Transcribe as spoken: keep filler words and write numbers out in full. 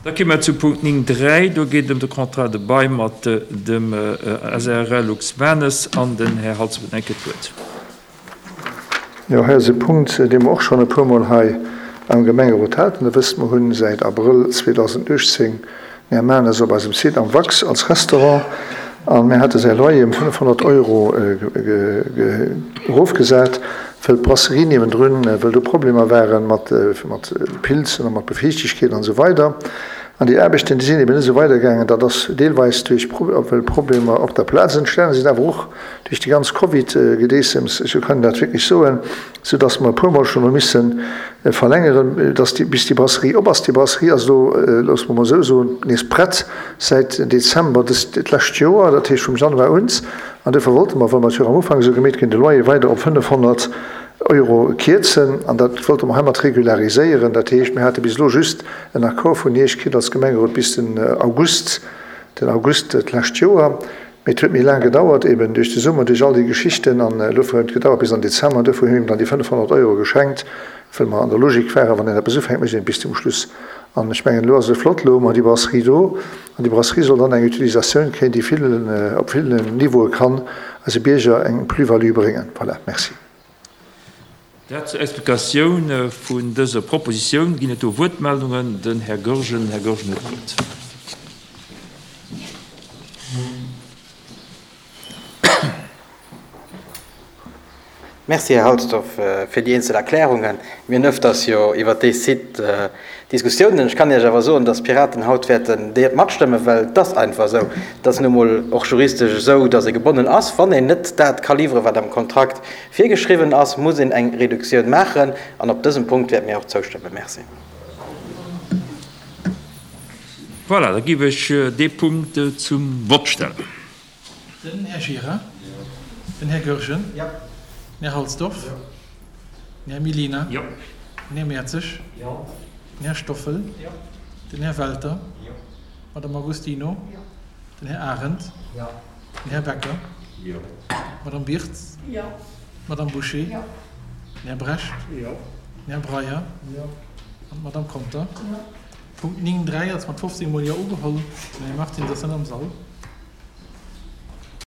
Da komme mer zu Punkt néng dräi. Do geet et ëm de Contrat de bail mat dem S A R L Luxmanes an den Här Halsdorf huet eng Kéier d'Wuert. Jo, hei ass e Punkt, dee mer och schonn e puermol hei am Gemengerot haten. Der wësst, mer hunn säit Abrëll zweedausendachtzéng den Här Manes op eisem Site am Wax als Restaurant a mir hate säi Loyer ëm fënnefhonnert Euro erofgesat, wëll d'Brasserie niewendrun, wëll do Problemer ware mat Pilzen a mat Befiichtegkeet an esou weider. An déi Aarbechten, déi sinn eben net esou weidergaangen. Dat ass deelweis duerch, well Problemer op der Plaz entstanen sinn, awer och duerch déi ganz Covid-Gedeessems, esou kann een dat wierklech soen, soudass mer e puermol schonn hu misse verlängeren, dass déi, bis déi Brasserie op ass. Déi Brasserie ass elo, loosse mer mol esou soen, nees prett säit Dezember dëst, d'lescht Joer, dat heescht vum Januar un. An duerfir wollte mer, well mer et jo am Ufank esou gemeet ginn, de Loyer weider op fënnefhonnert Euro kierzen. An dat wollte mer heimat regulariséieren. Dat heescht, mir hate bis elo just en Accord vun Iech kritt als Gemengerot bis den August, den August d'lescht Joer. Mee et huet méi laang gedauert, eben duerch de Summer, duerch all déi Geschichten. An elo huet et gedauert bis an Dezember. An duerfir hu mir him dann déi fënnefhonnert Euro geschenkt, well mer an der Logik waren, wann een eppes ufänkt, mécht een et bis zum Schluss. An ech mengen, elo ass et flott, elo hu mer déi Brasserie do. An déi Brasserie soll dann eng Utilisatioun kréien, déi villen, op villen Niveaue kann eise Bierger eng Plus-value bréngen. Voilà, merci. Dat zur Explikatioun vun dëser Propositioun. Ginn et do Wuertmeldungen? Den Här Goergen. Här Goergen huet d'Wuert. Merci, Här Halsdorf, fir déi eenzel Erklärungen. Mir hunn ëfters jo iwwert dee Site Diskussiounen. Ech kann Iech awer soen, dass d'Piraten haut wäerten déi matstëmmen, well et ass einfach esou, et ass nu mol och juristesch esou, dass ee gebonnen ass, wann een net dat ka liwweren, wat am Kontrakt virgeschriwwen ass, muss een eng Reduktioun maachen. An op dësem Punkt wäerte mir och zoustëmmen. Merci. Voilà, da géif ech dee Punkt zum Vott stellen. Den Här Gira. Den Här Goergen. Den Här Halsdorf. Den Här Mellina. Den Här Mertzig. Den Här Stoffel. Den Här Welter. Madame Agostino. Den Här Arendt. Den Här Becker. Madame Birtz. Madame Bouché. Den Här Brecht. Den Här Breyer. An d'Madame Conter. Punkt néng dräi ass mat fofzéng Mol Jo ugeholl. Den Här Martins ass net am Sall.